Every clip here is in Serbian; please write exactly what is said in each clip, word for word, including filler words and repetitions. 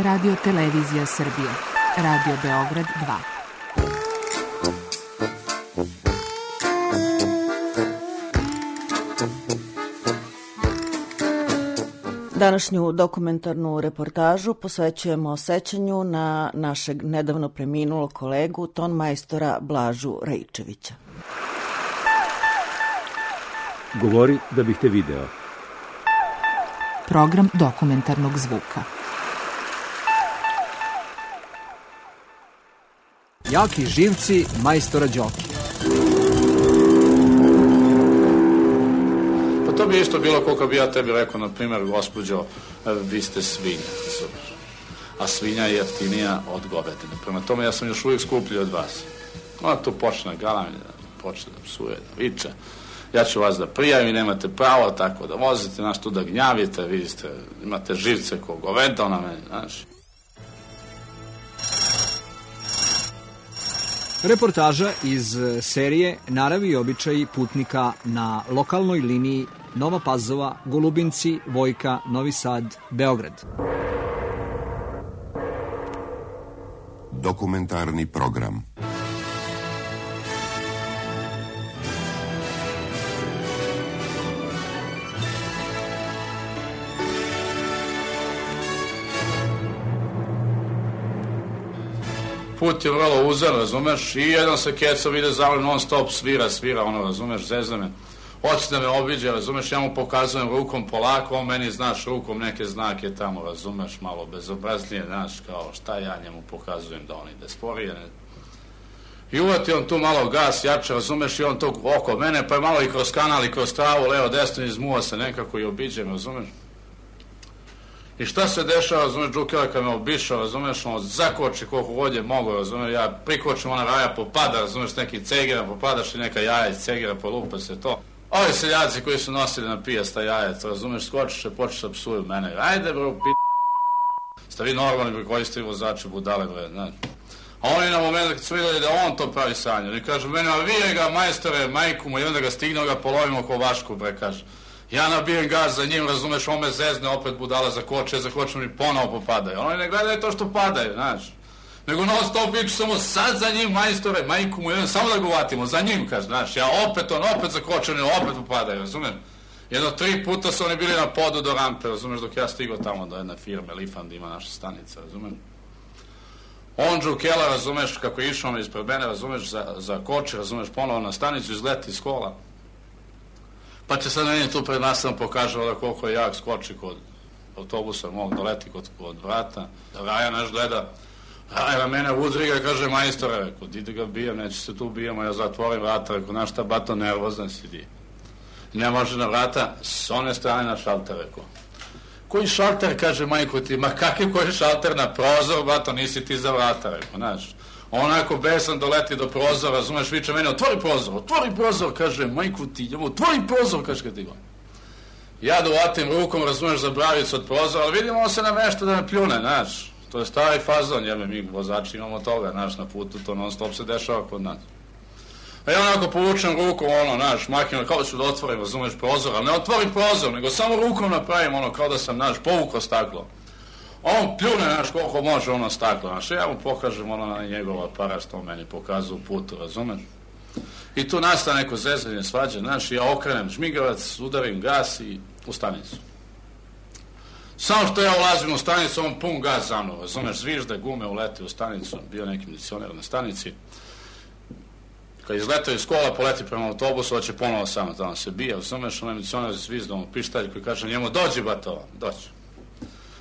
Radio Televizija Srbije, Radio Beograd dva. Današnju dokumentarnu reportažu posvećujemo sećanju na našeg nedavno preminulog kolegu, ton majstora Blažu Raičevića. Govori da bih te video. Program dokumentarnog zvuka. Jaki živci majstora Đoki. Pa to bi isto bilo koliko bi ja tebi rekao, na primjer, gospođo, vi ste svinja, a svinja je jeftinija od govedine. Prema tome, ja sam još uvijek skuplji od vas. Ona tu počne galamlja, počne da psuje, da viče. Ja ću vas da prijavim, nemate pravo tako da vozite, znaš, tu da gnjavite, vidite, imate živce ko goveda na meni, znaš. Reportaža iz serije Narav i običaji putnika na lokalnoj liniji Nova Pazova, Golubinci, Vojka, Novi Sad, Beograd. Dokumentarni program. Put je vrlo uzan, razumeš, i jedan se kecov ide zavljeno, non stop svira, svira, ono, razumeš, zezna me. Hoće da me obiđe, razumeš, ja mu pokazujem rukom polako, on meni, znaš, rukom neke znake tamo, razumeš, malo bezobraznije, znaš, kao šta ja njemu pokazujem da on ide sporije. Ne? I uvati on tu malo gas, jače, razumeš, i on tu oko mene, pa je malo i kroz kanal, i kroz travu, levo, desno, izmuva se nekako i obiđe me, razumeš. I šta se dešava, razumeš, Džukela kad me obišao, razumeš, on zakoči koliko god je mogo, razumeš, ja prikočim, ona raja popada, razumeš, neki cegira popadaš i neka jaja iz cegira, polupa se to. Ovi seljaci koji su nosili na pijasta jajac, razumeš, skočiš i počeš da psuju mene, ajde bro, p***, ste vi normalni pri koji ste vozači budale, bre, znaš. A oni na moment kad su vidjeli da on to pravi sanje, oni kažu meni, a vi ga majstore, majku mu, i onda ga stigne, ga polovimo ko vašku, bre, kaže. Ja nabijem gaz za njim, razumeš, on me zezne, opet budala zakoče, zakočem i ponovo popadaju. Oni ne gledaju to što padaju, znaš. Nego non stop viču samo sad za njim, majstore, majku mu, jedan, samo da ga uvatimo, za njim, kaže, znaš. Ja opet, on opet zakočen i opet popadaju, razumeš. Jedno tri puta su oni bili na podu do rampe, razumeš, dok ja stigao tamo do jedne firme, Lifand ima naša stanica, razumeš. On Džukela, razumeš, kako je išao ispred mene, razumeš, za, za koče, razumeš, ponovo na stanicu, izleti iz kola. Pa će sad meni tu pred nas nam pokaže da koliko je jak skoči kod autobusa, mog doleti kod, kod vrata. Raja naš gleda, Raja na mene udriga i kaže, majstore, rekao, ide ga bijem, neće se tu bijemo, ja zatvorim vrata, rekao, znaš šta, bato, nervozan si di. Ne može na vrata, s one strane na šalter, rekao. Koji šalter, kaže majko ti, ma kakav koji šalter na prozor, bato, nisi ti za vrata, rekao, znaš. Onako besan doleti do prozora, razumeš, viče mene, otvori prozor, otvori prozor, kaže, majku ti, otvori prozor, kaže kad ti go. Ja dovatim rukom, razumeš, za bravicu od prozora, ali vidimo on se namešta da me pljune, znaš. To je stari fazon, jebe, mi vozači imamo toga, znaš, na putu, to non stop se dešava kod nas. A ja onako povučem rukom, ono, znaš, makinem, kao da ću da otvorim, razumeš, prozor, ali ne otvorim prozor, nego samo rukom napravim, ono, kao da sam, znaš, povukao staklo. On pljune, znaš, koliko može ono staklo, znaš, ja mu pokažem ono na njegov aparat što on meni pokazuje u putu, razumeš? I tu nastane neko zezanje, svađe, znaš, ja okrenem žmigavac, udarim gas i u stanicu. Samo što ja ulazim u stanicu, on pun gas za mnom, razumeš, zvižde, gume uleti u stanicu, bio neki milicioner na stanici. Kad izletao iz kola, poleti prema autobusu, hoće ponovo samo tamo se bije, razumeš, onaj milicioner zvizdom u pištalj koji kaže njemu, dođi batova, dođi.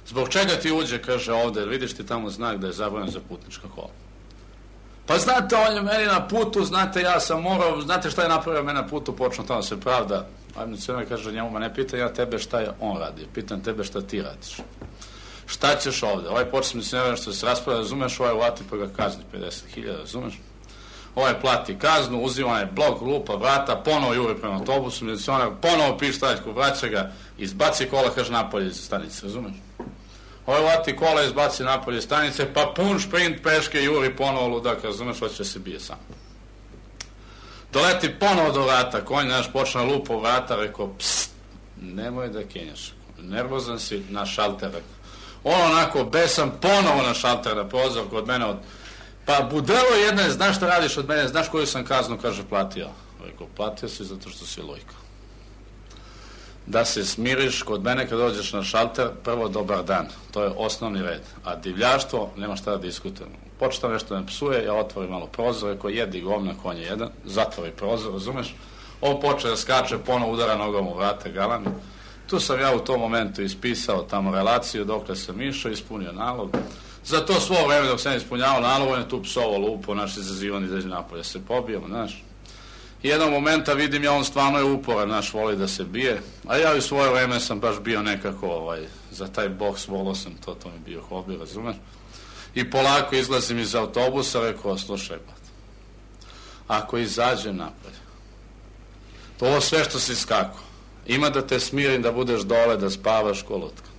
Zbog čega ti uđe, kaže ovde, vidiš ti tamo znak da je zabranjen za putnička kola. Pa znate, on je meni na putu, znate, ja sam morao, znate šta je napravio meni na putu, počnu tamo se pravda. A milicioner kaže njemu, ma ne pitan ja tebe šta je on radi, pitan tebe šta ti radiš. Šta ćeš ovde? Ovaj počne milicioner što se raspravlja, razumeš, ovaj uvati pa ga kazni pedeset hiljada, razumeš? Ovaj plati kaznu, uzima je blok, lupa, vrata, ponovo juri prema autobusu, milicioner ponovo pištaljku, vraća ga, izbaci kola, kaže napolje iz stanice, razumeš? Ovaj vati kola, izbaci napolje stanice, pa pun šprint peške juri ponovo ludak, razumeš, hoće se bije sam. Doleti ponovo do vrata, konj naš počne lupo vrata, rekao, psst, nemoj da kenjaš, nervozan si na šalter, rekao. On onako besan, ponovo na šalter, na prozor kod mene od... Pa budelo jedne, znaš šta radiš od mene, znaš koju sam kaznu, kaže, platio. Rekao, platio si zato što si lojka. Da se smiriš kod mene kad dođeš na šalter, prvo dobar dan, to je osnovni red. A divljaštvo, nema šta da diskutujemo. Početa nešto ne psuje, ja otvorim malo prozor, rekao, jedi govna, konj je jedan, zatvori prozor, razumeš? On počne da skače, ponovo udara nogom u vrate, galami. Tu sam ja u tom momentu ispisao tamo relaciju, dokle sam išao, ispunio nalog. Za to svo vreme dok sam ispunjavao nalog, on je tu psovo lupo, naš izazivan izađe napolje, se pobijemo, znaš. Jednog momenta vidim ja, on stvarno je uporan, naš, voli da se bije, a ja u svoje vreme sam baš bio nekako, ovaj, za taj boks, volao sam to, to mi bio hobi, razumeš? I polako izlazim iz autobusa, rekao, slušaj, bat, ako izađem napolje, to ovo sve što si skako, ima da te smirim, da budeš dole, da spavaš ko lutka.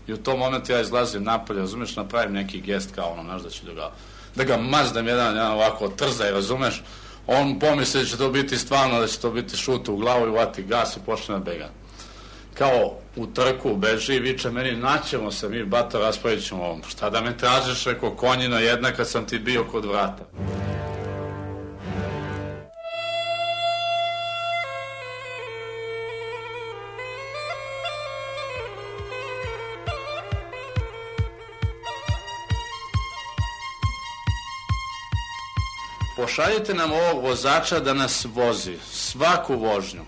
I u tom momentu ja izlazim napolje, razumeš, napravim neki gest kao ono, znaš, da ću da ga, da ga mazdam jedan, jedan ovako trzaj, razumeš, on pomisli da će to biti stvarno, da će to biti šut u glavu i vati gas i počne da bega. Kao u trku beži i viče meni, naćemo se mi, bato, raspravit ćemo ovom. Šta da me tražiš, rekao, konjino jedna kad sam ti bio kod vrata. Pošaljite nam ovog vozača da nas vozi, svaku vožnju.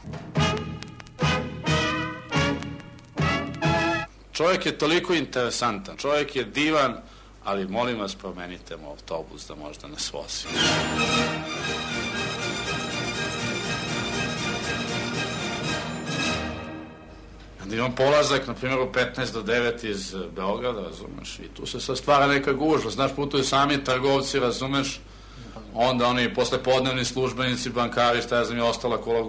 Čovjek je toliko interesantan, čovjek je divan, ali molim vas promenite mu autobus da možda nas vozi. Onda imam polazak, na primjer, u petnaest do devet iz Beograda, razumeš, i tu se sad stvara neka gužva, znaš, putuju sami trgovci, razumeš, onda oni poslepodnevni službenici, bankari, šta ja znam, je ostala koja,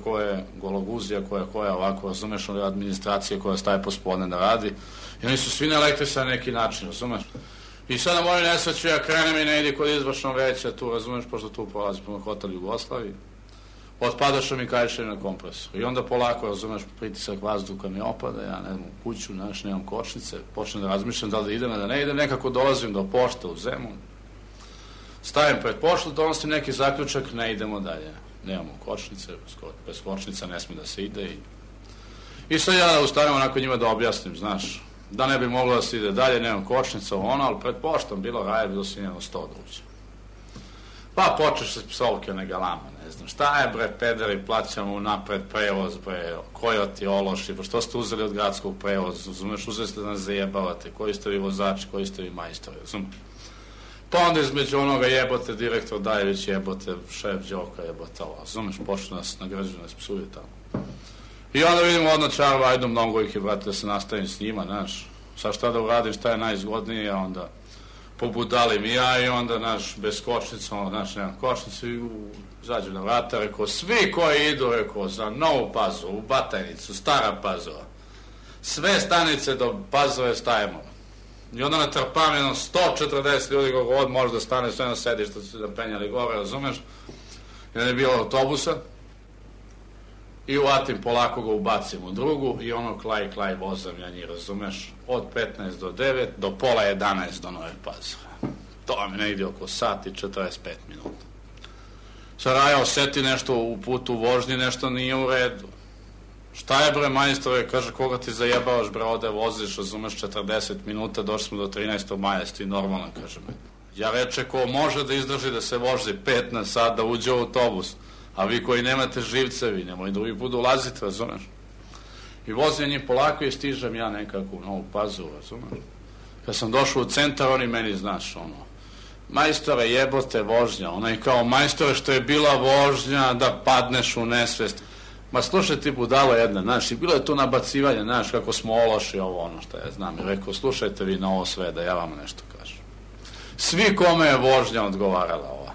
koja je gologuzija, koja koja ovako, razumeš, ona administracija koja staje pospodne da radi. I oni su svi naelektrisani na neki način, razumeš. I sada moju nesreću, ja krenem i ne idi kod izvršnog veća, tu, razumeš, pošto tu prolazi prema hotel Jugoslaviji. Otpadaša mi kajšanje na kompresor. I onda polako, razumeš, pritisak vazduha mi opada, ja ne znam, u kuću, znaš, nemam kočnice, počnem da razmišljam da li da idem, da ne idem, nekako dolazim do pošte u Zemun. Stavim pred poštu, donosim neki zaključak, ne idemo dalje. Nemamo kočnice, bez kočnica ne smije da se ide. I, I sad ja da ustavim onako njima da objasnim, znaš, da ne bi moglo da se ide dalje, nemam kočnica, ono, ali pred poštom bilo raje, bilo si njeno sto da uđe. Pa počeš se psovke, ne galama, ne znam, šta je bre, pederi, plaćamo napred prevoz, bre, kojoti, ološi, pa što ste uzeli od gradskog prevoza, razumeš, uzeli ste da nas zajebavate, koji ste vi vozači, koji ste vi majstori, razumeš. Pa onda između onoga jebote, direktor Dajević jebote, šef Đoka jebote, razumeš, počne nas nagrađu, nas psuje tamo. I onda vidimo odno čarva, ajdu mnogo ih je, brate, da se nastavim s njima, znaš, sad šta da uradim, šta je najizgodnije, onda pobudalim i ja i onda, znaš, bez kočnica, ono, znaš, nemam kočnicu i zađu na vrata, rekao, svi koji idu, rekao, za Novu Pazovu, u Batajnicu, Stara Pazova, sve stanice do Pazove stajemo. I onda natrpam jedno sto četrdeset ljudi kako god može da stane sve na sedište, su se da penjali gore, razumeš? I onda je bilo autobusa i uvatim, polako ga ubacim u drugu i ono klaj, klaj vozam ja njih, razumeš? Od petnaest do devet do pola jedanaest do Nove Pazove. To vam je negdje oko sat i četrdeset pet minuta. Sad Raja oseti nešto u putu u vožnji, nešto nije u redu. Šta je bre majstore, kaže, koga ti zajebavaš bre, ode voziš, razumeš, četrdeset minuta, došli smo do trinaestog maja, sti normalno, kaže me. Ja reče, ko može da izdrži da se vozi pet na sat, da uđe u autobus, a vi koji nemate živce, vi nemoj drugi put ulaziti, razumeš. I vozim njih polako i stižem ja nekako u Novu Pazovu, razumeš. Kad sam došao u centar, oni meni, znaš, ono, majstore, jebote vožnja, ono je kao majstore što je bila vožnja da padneš u nesvest. Ma slušaj ti budalo jedna, znaš, i bilo je tu nabacivanje, znaš, kako smo ološi ovo, ono što ja znam. I rekao, slušajte vi na ovo sve, da ja vam nešto kažem. Svi kome je vožnja odgovarala ova.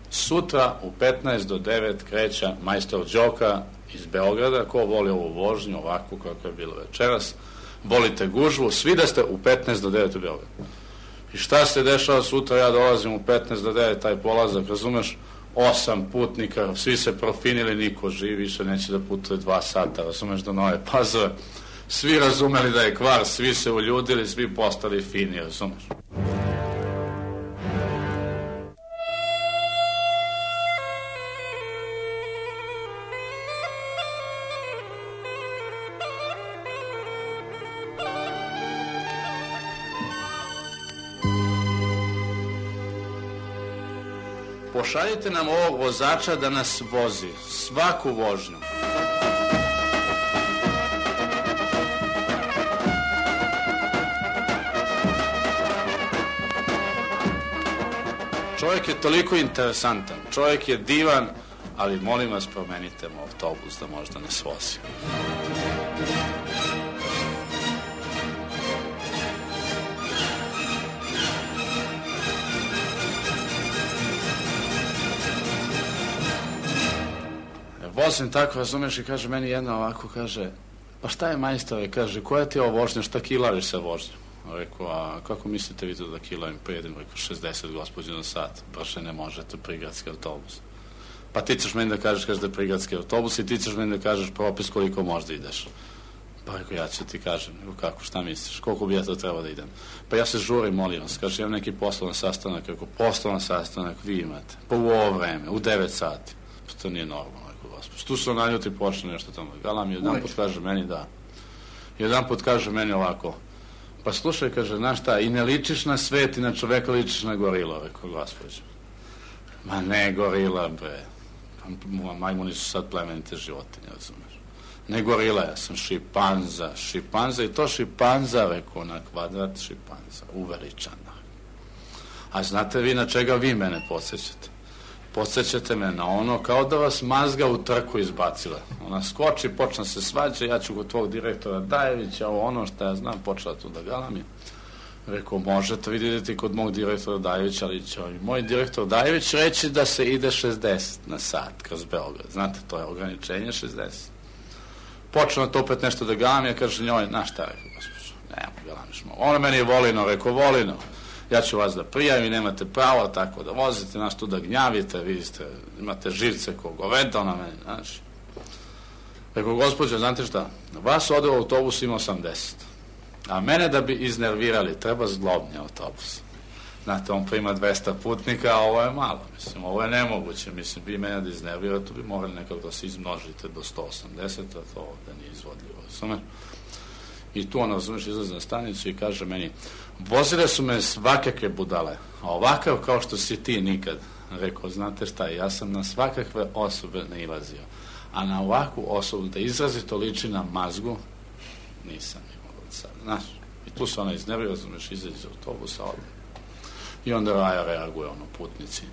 Sutra u petnaest do devet kreća majstor Đoka iz Beograda, ko voli ovu vožnju, ovakvu kako je bilo večeras, volite gužvu, svi da ste u petnaest do devet u Beogradu. I šta se dešava sutra, ja dolazim u petnaest do devet, taj polazak, razumeš, osam putnika, svi se profinili, niko živi, više neće da putuje dva sata, razumeš, do Nove Pazove. svi razumeli da je kvar, svi se uljudili, svi postali fini, razumeš? Pošaljite nam ovog vozača da nas vozi, svaku vožnju. Čovjek je toliko interesantan, čovjek je divan, ali molim vas promenite mu autobus da možda nas vozi. Vozim tako, razumeš, i kaže meni jedna ovako, kaže, pa šta je majstore, kaže, koja ti je ovo vožnja, šta kilariš sa vožnjom? Rekao, a kako mislite vi to da kilavim prijedem? Rekao, šezdeset gospođe na sat, brže ne možete, prigradski autobus. Pa ti ćeš meni da kažeš, kaže da je prigradski autobus i ti ćeš meni da kažeš propis koliko možda ideš. Pa rekao, ja ću ti kažem, rekao, kako, šta misliš, koliko bi ja to trebao da idem? Pa ja se žurim, molim vas, kaže, imam neki poslovan sastanak, rekao, poslovan sastanak vi imate, pa u ovo vreme, u devet sati, pa to nije normalno. Tu se naljuti počne nešto tamo. Galam jedan put kaže meni da. Jedan put kaže meni ovako. Pa slušaj, kaže, znaš šta, i ne ličiš na svet i na čoveka, ličiš na gorilo, rekao gospođo. Ma ne gorila, bre. Majmuni su sad plemenite životinje, razumeš. Ne gorila, ja sam šipanza. Šipanza i to šipanza, rekao, na kvadrat šipanza. Uveličana. A znate vi na čega vi mene podsjećate? Podsjećate me na ono kao da vas mazga u trku izbacila. Ona skoči, počne se svađa, ja ću kod tvog direktora Dajevića, ono što ja znam, počela tu da galami. Rekao, možete vidjeti kod mog direktora Dajevića, ali će moj direktor Dajević reći da se ide šezdeset na sat kroz Beograd. Znate, to je ograničenje šezdeset. Počela to opet nešto da galami, ja kaže njoj, na šta, rekao, gospođo, nemo, galamiš malo. Ona meni je volino, rekao, volino. Ja ću vas da prijavim, nemate pravo tako da vozite, nas tu da gnjavite, vidite, imate živce ko goveda na meni, znači. Rekao, gospođo, znate šta, vas ode u autobus ima osamdeset, a mene da bi iznervirali, treba zglobni autobus. Znate, on prima dvesta putnika, a ovo je malo, mislim, ovo je nemoguće, mislim, vi mene da iznervirate, bi morali nekako da se izmnožite do sto osamdeset, a to ovdje nije izvodljivo, razumeš? I tu ona, razumeš, izlazi na stanicu i kaže meni, vozile su me svakakve budale, a ovakav kao što si ti nikad. Rekao, znate šta, ja sam na svakakve osobe nailazio, a na ovakvu osobu da izrazito liči na mazgu, nisam imao od sada, znaš. I tu se ona iznervira, razumeš, izađe iz autobusa, ovdje. I onda Raja reaguje, ono, putnici.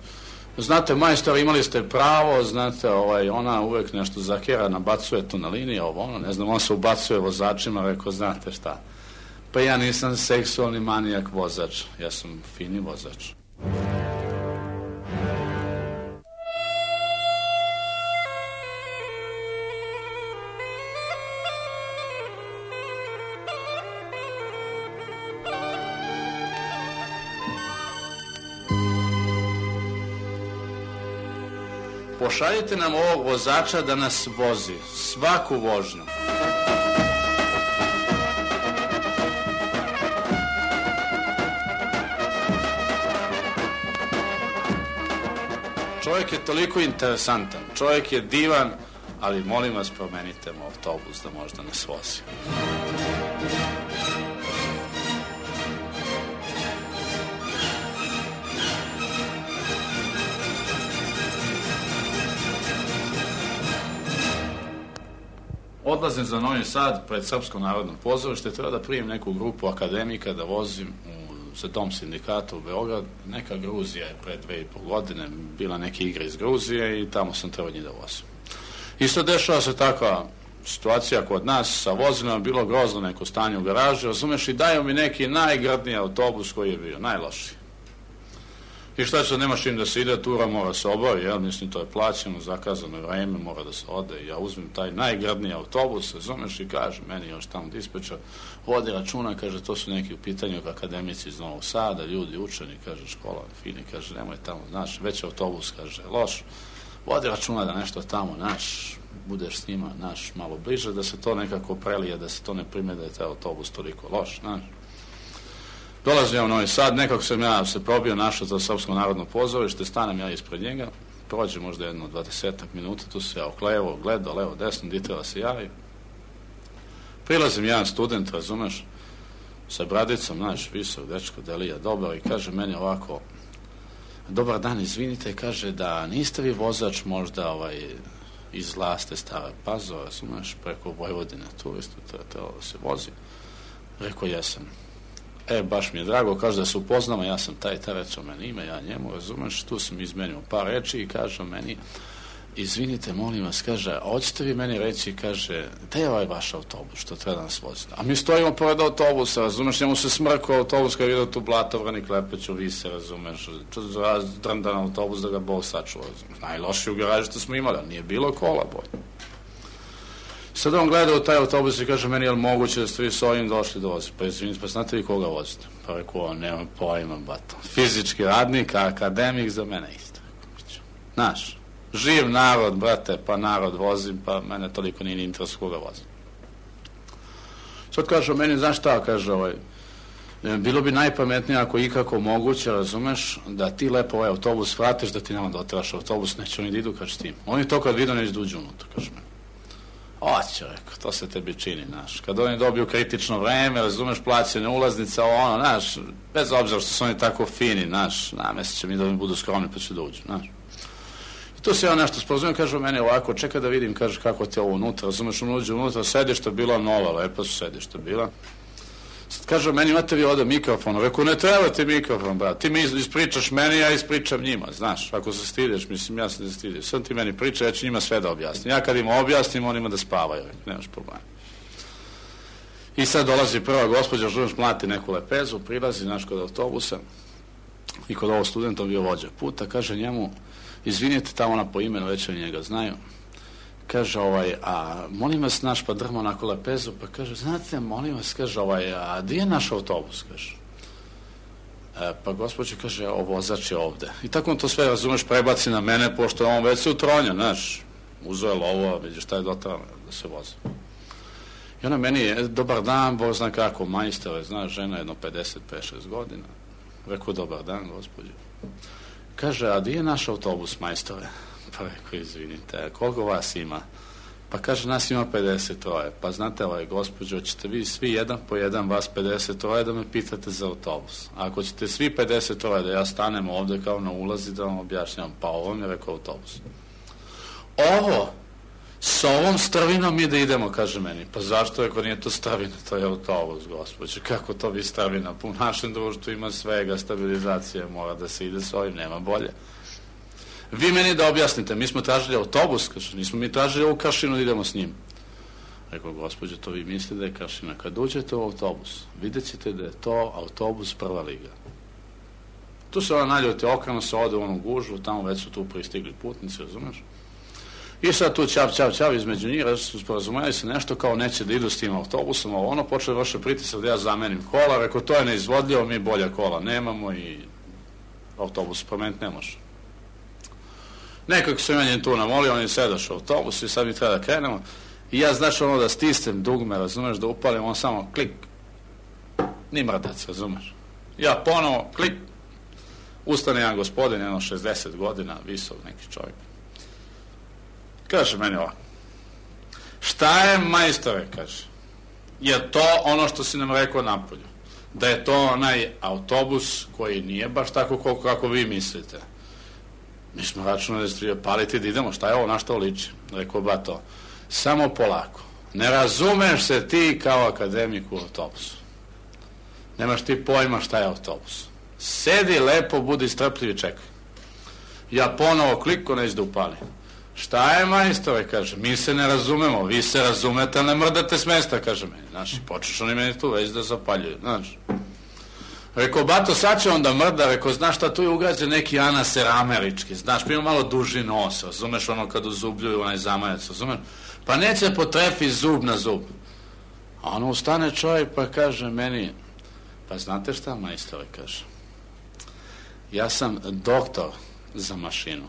Znate, majstor, imali ste pravo, znate, ovaj, ona uvek nešto zakera, nabacuje to na liniji, ovo, ono, ne znam, on se ubacuje vozačima, rekao, znate šta, pa ja nisam seksualni manijak vozač, ja sam fini vozač. Pošaljite nam ovog vozača da nas vozi, svaku vožnju. Čovjek je toliko interesantan, čovjek je divan, ali molim vas promenite mu autobus da možda nas vozi. Odlazim za Novi Sad pred Srpsko narodno pozorište, treba da primim neku grupu akademika da vozim u, za dom sindikata u Beograd. Neka Gruzija je pre dve i pol godine bila neke igre iz Gruzije i tamo sam trebao njih da vozim. Isto dešava se takva situacija kod nas sa vozilima, bilo grozno neko stanje u garaži, razumeš, i daju mi neki najgradniji autobus koji je bio, najlošiji. I šta će, nemaš im da se ide, tura mora se obavi, jel, mislim, to je plaćeno, zakazano vreme, mora da se ode, i ja uzmem taj najgradniji autobus, razumeš, i kaže, meni još tamo dispečar, vodi računa, kaže, to su neki u pitanju akademici iz Novog Sada, ljudi, učeni, kaže, škola, fini, kaže, nemoj tamo, znaš, već autobus, kaže, loš, vodi računa da nešto tamo, naš, budeš s njima, naš, malo bliže, da se to nekako prelije, da se to ne prime da je taj autobus toliko loš, naš. Dolazim ja u Novi Sad, nekako sam ja se probio, našao za Srpsko narodno pozorište, stanem ja ispred njega, prođe možda jedno dvadesetak minuta, tu se ja oklevo, gledao, levo, desno, di treba se javi. Prilazim jedan student, razumeš, sa bradicom, znaš, visok, dečko, delija, dobar, i kaže meni ovako, dobar dan, izvinite, kaže da niste vi vozač možda ovaj, iz Laste Stara Pazova, razumeš, preko Vojvodine, turistu, trebalo da se vozi. Rekao, jesam. E, baš mi je drago, kaže da se upoznamo, ja sam taj, taj recao meni ime, ja njemu, razumeš, tu sam izmenio par reči i kaže meni, izvinite, molim vas, kaže, hoćete vi meni reći, kaže, gde je ovaj vaš autobus, što treba da nas vozite? A mi stojimo pored autobusa, razumeš, njemu se smrkao autobus kada vidio tu Blatovrani, Klepeću, Vise, razumeš, drndan autobus da ga Bog sačuva, razumeš, najlošiji u garaži što smo imali, ali nije bilo kola bolje. Sad on gleda u taj autobus i kaže meni, je li moguće da ste vi s ovim došli do vozi? Pa izvinite, pa znate vi koga vozite? Pa rekao, nemam pojma, bato. Fizički radnik, akademik, za mene isto. Znaš, živ narod, brate, pa narod vozim, pa mene toliko nije interes koga vozim. Sad kaže meni, znaš šta, kaže ovaj, bilo bi najpametnije ako ikako moguće, razumeš, da ti lepo ovaj autobus vratiš, da ti nema da oteraš autobus, neće oni da idu, kaže tim. Oni to kad vidu neće da uđu unutra, kaže meni. Oće, rekao, to se tebi čini, znaš. Kad oni dobiju kritično vreme, razumeš, plaćene ulaznica, ono, znaš, bez obzira što su oni tako fini, znaš, namestit će mi da oni budu skromni pa će da uđu, znaš. I tu se ja nešto sporazumio, kaže meni ovako, čekaj da vidim, kaže, kako ti je ovo unutra, razumeš, on uđe unutra, sedišta bila nova, lepa su sedišta bila. Sad kaže, meni imate vi ovde mikrofon, rekao, ne treba ti mikrofon, brat, ti mi ispričaš meni, ja ispričam njima, znaš, ako se stidiš, mislim, ja se ne stidim, sad ti meni priča, ja ću njima sve da objasnim, ja kad im objasnim, on ima da spavaju, nemaš problema. I sad dolazi prva gospođa, žunaš, mlati neku lepezu, prilazi, znaš, kod autobusa, i kod ovog studenta bio vođa puta, kaže njemu, izvinite, tamo ona po imenu, već oni njega znaju, kaže, ovaj, a molim vas, naš, pa drma onako lepezu, pa kaže, znate, molim vas, kaže, ovaj, a gdje je naš autobus, kaže. E, pa gospođe, kaže, o, vozač je ovde. I tako on to sve, razumeš, prebaci na mene, pošto on već se utronja, znaš, uzeo je lovo, vidiš šta je dotrano da se vozi. I ona meni je, dobar dan, Bog zna kako, majstore, znaš, žena jedno pedeset pet šest godina. Rekao, dobar dan, gospođe. Kaže, a gdje je naš autobus, majstore? Pa rekao, izvinite, koliko vas ima? Pa kaže, nas ima pedeset troje. Pa znate, ovaj, gospođo, ćete vi svi jedan po jedan, vas pedeset troje, da me pitate za autobus. A ako ćete svi pedeset troje, da ja stanem ovde kao na ulazi, da vam objašnjam, pa ovo mi je rekao autobus. Ovo, s ovom strvinom mi da idemo, kaže meni. Pa zašto, ako nije to strvina, to je autobus, gospođo. Kako to bi strvina? U našem društvu ima svega, stabilizacije, mora da se ide s ovim, nema bolje. Vi meni da objasnite, mi smo tražili autobus, kaže, nismo mi tražili ovu Kršinu da idemo s njim. Rekao, gospođo, to vi mislite da je Kršina. Kad uđete u autobus, vidjet ćete da je to autobus prva liga. Tu se ona naljuti, okreno se ode u onu gužu, tamo već su tu pristigli putnici, razumeš? I sad tu čap, čap, čap između njih, su sporazumeli se nešto kao neće da idu s tim autobusom, ovo ono, počeo vrše pritisak da ja zamenim kola, rekao, to je neizvodljivo, mi bolja kola nemamo i autobus promeniti ne može. Nekako sam ja njen tu namolio, on je sedaš u autobusu i sad mi treba da krenemo. I ja, znaš, ono da stisnem dugme, razumeš, da upalim, on samo klik. Ni mrdac, razumeš. Ja ponovo, klik. Ustane jedan gospodin, jedno šezdeset godina, visok neki čovjek. Kaže meni ovako. Šta je, majstore, kaže. Je to ono što si nam rekao napolju. Da je to onaj autobus koji nije baš tako koliko kako vi mislite. Mi smo računali da ste paliti da idemo, šta je ovo, na što liči? Rekao, ba to, samo polako. Ne razumeš se ti kao akademik u autobusu. Nemaš ti pojma šta je autobus. Sedi lepo, budi strpljiv i čekaj. Ja ponovo kliko neću da upalim. Šta je, majstore, kaže, mi se ne razumemo, vi se razumete, ali ne mrdate s mesta, kaže meni. Znaš, i počeš oni meni tu već da zapaljuju, znaš. Rekao, bato, sad će onda mrda, rekao, znaš šta, tu je ugrađen neki anaser američki, znaš, pa ima malo duži nos, razumeš, ono kad uzubljuju onaj zamajac, razumeš, pa neće potrefi zub na zub. A ono ustane čovjek pa kaže meni, pa znate šta, majstore, kaže, ja sam doktor za mašinu.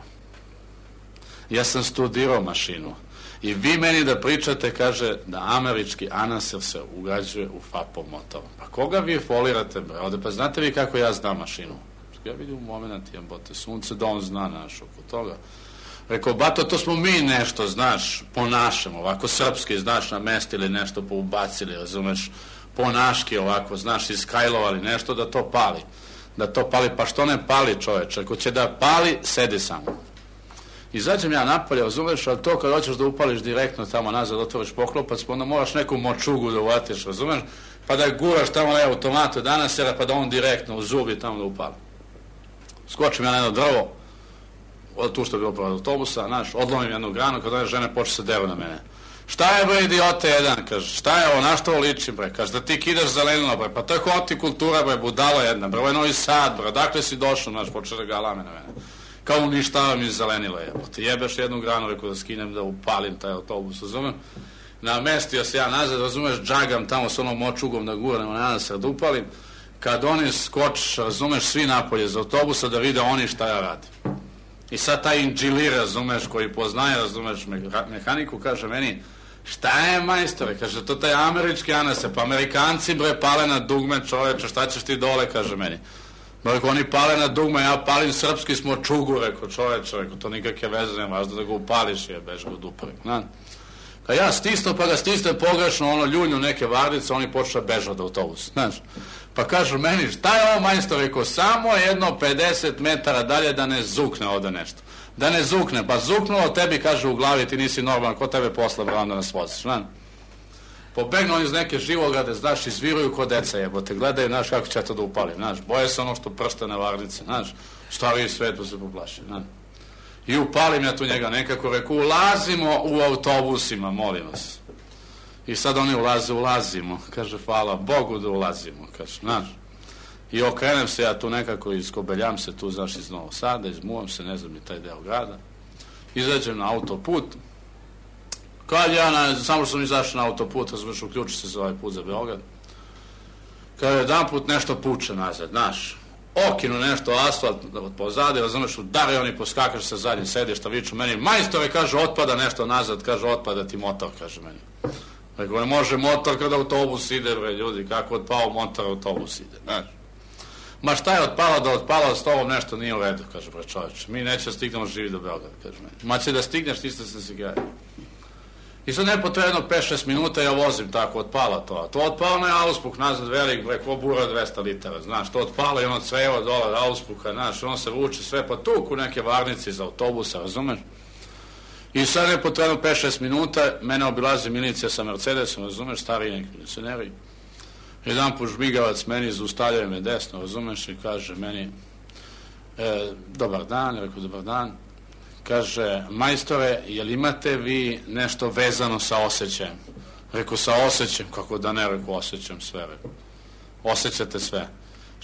Ja sam studirao mašinu. I vi meni da pričate, kaže, da američki anaser se ugrađuje u FAPov motor. Pa koga vi folirate, bre? Ovde, pa znate vi kako ja znam mašinu? Ja vidim u moment, jebote, sunce da on zna naš oko toga. Rekao, bato, to smo mi nešto, znaš, po našem, ovako srpski, znaš, namestili nešto, poubacili, razumeš, po naški ovako, znaš, iskajlovali nešto da to pali. Da to pali, pa što ne pali, čoveče? Ako će da pali, sedi samo. Izađem ja napolje, razumeš, ali to kad hoćeš da upališ direktno tamo nazad, otvoriš poklopac, pa onda moraš neku močugu da uvatiš, razumeš, pa da guraš tamo na automatu danas, pa da on direktno u zubi tamo da upali. Skočim ja na jedno drvo, od tu što je bilo pored autobusa, znaš, odlomim jednu granu, kad one žene počne se deru na mene. Šta je, bre, idiote jedan, kaže, šta je ovo, na što ovo liči, bre, kaže, da ti kidaš zelenilo, bre, pa to je hortikultura, bre, budala jedna, bre, ovo je Novi Sad, bre, dakle si došao, znaš, počne da galame na mene. Kao uništavam iz zelenila, jebote, jebeš jednu granu, rekao da skinem, da upalim taj autobus, razumem? Namestio se ja nazad, razumeš, džagam tamo s onom močugom da guram, na se da upalim, kad oni skočiš, razumeš, svi napolje iz autobusa da vide oni šta ja radim. I sad taj inđilir, razumeš, koji poznaje, razumeš, mehaniku, kaže meni, šta je, majstore, kaže, to taj američki anase, pa Amerikanci, bre, pale na dugme, čoveče, šta ćeš ti dole, kaže meni. Rekao, oni pale na dugme, ja palim srpski smo čugu, rekao, čoveče, rekao, to nikakve veze, nema, važda da ga upališ, je, bež ga dupa, rekao, kad ja stisno, pa ga stisne pogrešno, ono, ljunju neke vardice, oni počne bežati od autobusa, znaš. Pa kažu meni, šta je ovo, majstor, rekao, samo jedno pedeset metara dalje da ne zukne ovde nešto. Da ne zukne, pa zuknulo tebi, kaže, u glavi, ti nisi normalan, ko tebe posle, bro, onda nas voziš, znaš. Pobegnu oni iz neke živograde, znaš, izviruju ko deca, jebote, gledaju, znaš, kako će to da upalim, znaš, boje se ono što pršte na varnice, znaš, stariji svet pa se poplaši, znaš. I upalim ja tu njega nekako, reku, ulazimo u autobusima, molim vas. I sad oni ulaze, ulazimo, kaže, hvala Bogu da ulazimo, kaže, znaš. I okrenem se ja tu nekako, iskobeljam se tu, znaš, iz Novog Sada, izmuvam se, ne znam ni taj deo grada, izađem na autoput. Kad ja, na, samo što sam izašao na autoput, razumiješ, uključi se za ovaj put za Beograd, kada jedan put nešto puče nazad, znaš, okinu nešto asfalt pozadi, razumiješ, udari oni, poskakaš sa zadnjim sedišta, viču meni, majstore, kaže, otpada nešto nazad, kaže, otpada ti motor, kaže meni. Rekao, ne može motor kada autobus ide, bre, ljudi, kako otpao motor, autobus ide, znaš. Ma šta je otpalo da otpalo, s tobom nešto nije u redu, kaže, bre, čovječe, mi neće da stignemo živi do Beograda, kaže meni. Ma će da stigneš, ti ste se gradi. I sad nepotrebno pet šest minuta ja vozim tako, otpala to. To otpalo na auspuh nazad velik, bre, ko bura dvesta litara, znaš, to otpalo i ono crevo dole auspuha, znaš, ono se vuče sve, pa tuku neke varnice iz autobusa, razumeš? I sad nepotrebno pet šest minuta, mene obilazi milicija sa Mercedesom, razumeš, stariji neki milicioneri. Jedan put žmigavac meni zaustavljaju me desno, razumeš, i kaže meni, e, dobar dan, rekao, dobar dan. Kaže, majstore, jel imate vi nešto vezano sa osjećajem? Rekao, sa osjećajem, kako da ne, rekao, osjećam sve, rekao. Osjećate sve.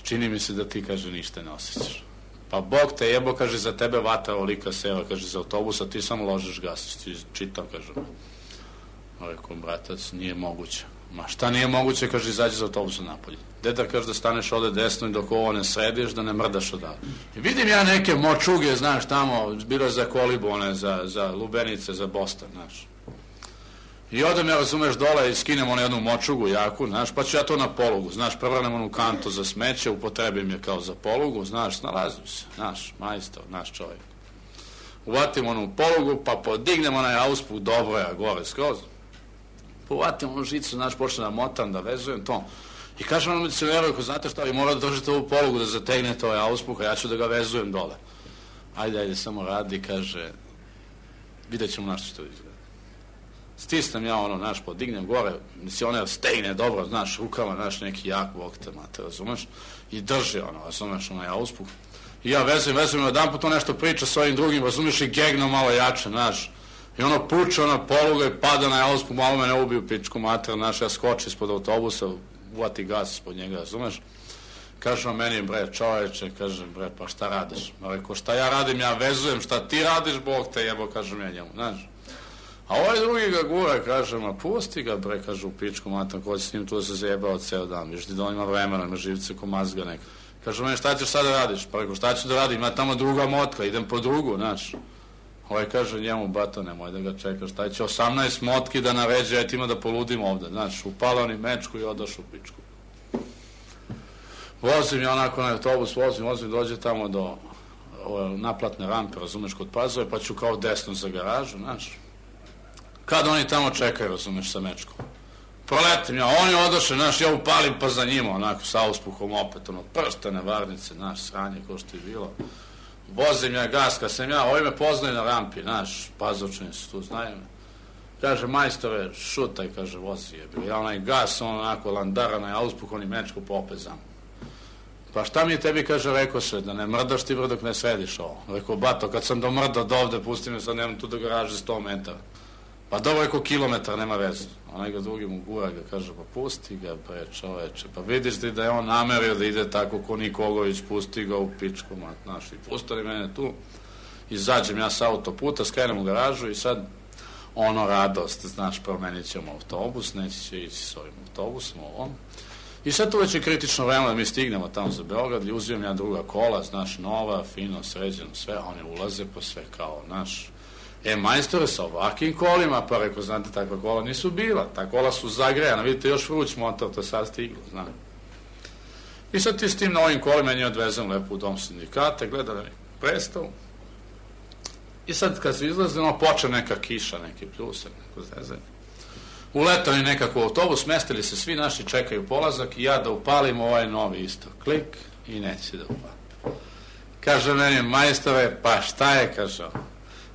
Čini mi se da ti, kaže, ništa ne osjećaš. Pa Bog te jebo, kaže, za tebe vata olika seva, kaže, za autobusa, ti samo ložiš gas, ti čitam, kaže. Rekao, bratac, nije moguće. Ma šta nije moguće, kaže, izađi za autobusa napolje. Deda, kaže, da staneš ovde desno i dok ovo ne središ, da ne mrdaš odavde. I vidim ja neke močuge, znaš, tamo, bilo za kolibu, one, za, za lubenice, za Boston, znaš. I odem ja, razumeš, dole i skinem ono jednu močugu jaku, znaš, pa ću ja to na polugu, znaš, prevrnem onu kantu za smeće, upotrebim je kao za polugu, znaš, snalazim se, znaš, majstor, naš čovjek. Uvatim onu polugu, pa podignem onaj auspuh dobro ja gore skroz. Uvatim onu žicu, znaš, počne da motam, da vezujem to. I kažem ono milicioneru, ako znate šta, vi morate da držite ovu polugu da zategnete ovaj auspuh, a ja ću da ga vezujem dole. Ajde, ajde, samo radi, kaže, vidjet ćemo našto što izgleda. Stisnem ja ono, znaš, podignem gore, milicioner stegne dobro, znaš, rukama, znaš, neki jak bok te mate, razumeš, i drži ono, razumeš, onaj auspuh. I ja vezujem, vezujem, jedan put to nešto priča s ovim drugim, razumeš, i gegno malo jače, znaš. I ono puče, ona poluga i pada na auspuh, malo me ne ubiju pičku mater, znaš, ja skoči ispod autobusa, uvati gas ispod njega, razumeš? Kaže on meni, bre, čoveče, kažem, bre, pa šta radiš? Rekao, šta ja radim, ja vezujem, šta ti radiš, Bog te jebo, kažem ja njemu, znaš. A ovaj drugi ga gura, kaže, ma pusti ga, bre, kaže, u pičku mater, ko će s njim tu da se zajebao ceo dan, viš ti da on ima vremena, ima živce ko mazga neka. Kaže meni, šta ćeš sad da radiš? Pa rekao, šta ću da radim, ima tamo druga motka, idem po drugu, znaš. Ovaj kaže njemu, bato, nemoj da ga čekaš, taj će osamnaest motki da naređe, ja ti ima da poludim ovde, znaš, upala oni mečku i odaš u pičku. Vozim ja onako na autobus, vozim, vozim, dođe tamo do ove, naplatne rampe, razumeš, kod Pazove, pa ću kao desno za garažu, znaš. Kad oni tamo čekaju, razumeš, sa mečkom. Proletim ja, oni odoše, znaš, ja upalim pa za njima, onako, sa uspuhom opet, ono, prstene varnice, znaš, sranje, ko što je bilo. Vozim ja gas, kad sam ja, ovi me poznaju na rampi, znaš, Pazovčani su tu, znaju me. Kaže, majstore, šutaj, kaže, vozi je bio. Ja onaj gas, on onako landarana, ja uspuh, oni mečku popezam. Pa šta mi tebi, kaže, rekao se, da ne mrdaš ti dok ne središ ovo. Rekao, bato, kad sam domrdao do ovde, pusti me, sad nemam tu do garaže sto metara. Pa dobro, rekao, kilometar, nema veze. Onaj ga drugi mu gura, ga kaže, pa pusti ga, bre, čoveče. Pa vidiš ti da je on namerio da ide tako ko Nikogović, pusti ga u pičku, mat, znaš, i pustali mene tu. Izađem ja sa autoputa, skrenem u garažu i sad, ono, radost, znaš, promenit ćemo autobus, neće će ići s ovim autobusom, ovom. I sad tu već je kritično vreme da mi stignemo tamo za Beograd i uzimam ja druga kola, znaš, nova, fino, sređeno, sve, oni ulaze po sve kao, znaš, e, majstore, sa ovakvim kolima, pa rekao, znate, takva kola nisu bila, ta kola su zagrejana, vidite, još vruć motor, to je sad stiglo, znam. I sad ti s tim na ovim kolima nje odvezem lepo u dom sindikata, gledali predstavu. I sad kad se izlaze, ono, poče neka kiša, neki pljusak, neko zezanje. Uletali nekako u autobus, mestili se svi naši, čekaju polazak i ja da upalim ovaj novi isto. Klik i neće da upalim. Kaže meni, majstore, pa šta je, kaže,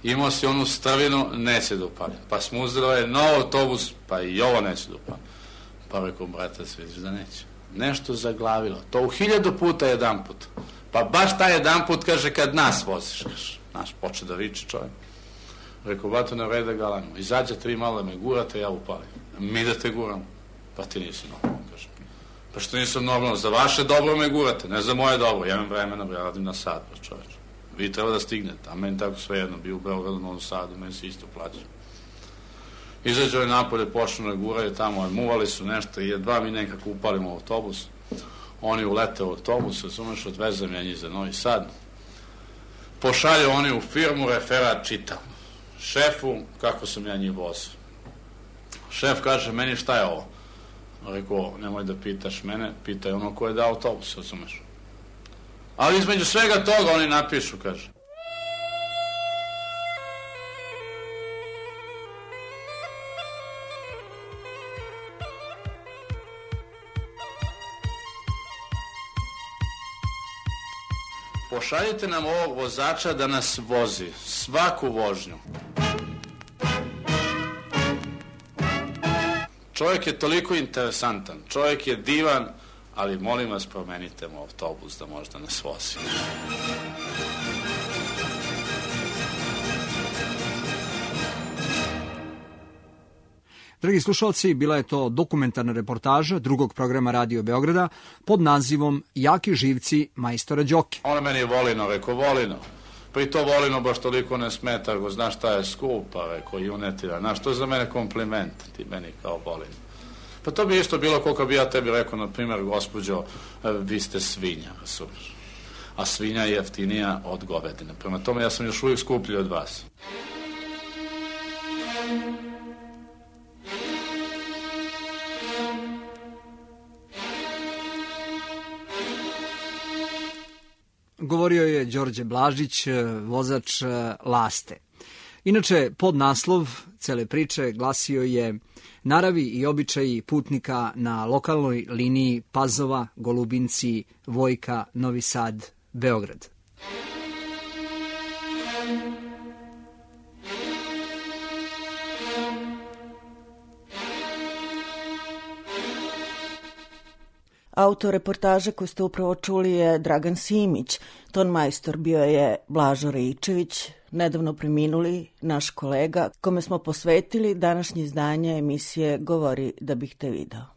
imao si onu strvinu, neće da upalim. Pa smo uzeli ovaj nov autobus, pa i ovo neće da upalim. Pa rekao, brate, vidiš da neće. Nešto zaglavilo. To u hiljadu puta jedan put. Pa baš taj jedan put, kaže, kad nas voziš, kaže. Znaš, poče da viče čovjek. Rekao, bato, ne vrede galanimo. Izađete vi malo da me gurate, ja upalim. Mi da te guramo. Pa ti nisi normalno, kaže. Pa što nisam normalno? Za vaše dobro me gurate, ne za moje dobro. Ja imam vremena, ja radim na sad, pa čovječ. Vi treba da stignete, a meni tako svejedno, bio u Beogradu, Novom Sadu, meni se isto plaća. Izađe ovaj napolje, počnu da guraju tamo, muvali su nešto i jedva mi nekako upalimo autobus. Oni ulete u autobus, razumeš, odvezem ja njih za Novi Sad. Pošalju oni u firmu, referat čitam. Šefu, kako sam ja njih vozio. Šef kaže, meni šta je ovo? Rekao, nemoj da pitaš mene, pitaj ono ko je dao autobus, razumeš. Ali između svega toga oni napišu, kaže. Pošaljite nam ovog vozača da nas vozi, svaku vožnju. Čovjek je toliko interesantan, čovjek je divan, ali molim vas promenite mu autobus da možda nas vozi. Dragi slušalci, bila je to dokumentarna reportaža drugog programa Radio Beograda pod nazivom Jaki živci majstora Đoke. Ona meni je Volino, rekao Volino. Pri to Volino baš toliko ne smeta, go znaš šta je skupa, rekao junetira. Znaš, to je za mene kompliment, ti meni kao Volino. Pa to bi isto bilo koliko bi ja tebi rekao, na primjer, gospođo, vi ste svinja, razumiješ. A svinja je jeftinija od govedine. Prema tome ja sam još uvijek skuplji od vas. Govorio je Đorđe Blažić, vozač Laste. Inače, podnaslov cele priče glasio je Naravi i običaji putnika na lokalnoj liniji Pazova, Golubinci, Vojka, Novi Sad, Beograd. Autor reportaže koju ste upravo čuli je Dragan Simić, ton majstor bio je Blažo Reičević, nedavno preminuli naš kolega, kome smo posvetili današnje izdanje emisije Govori da bih te video.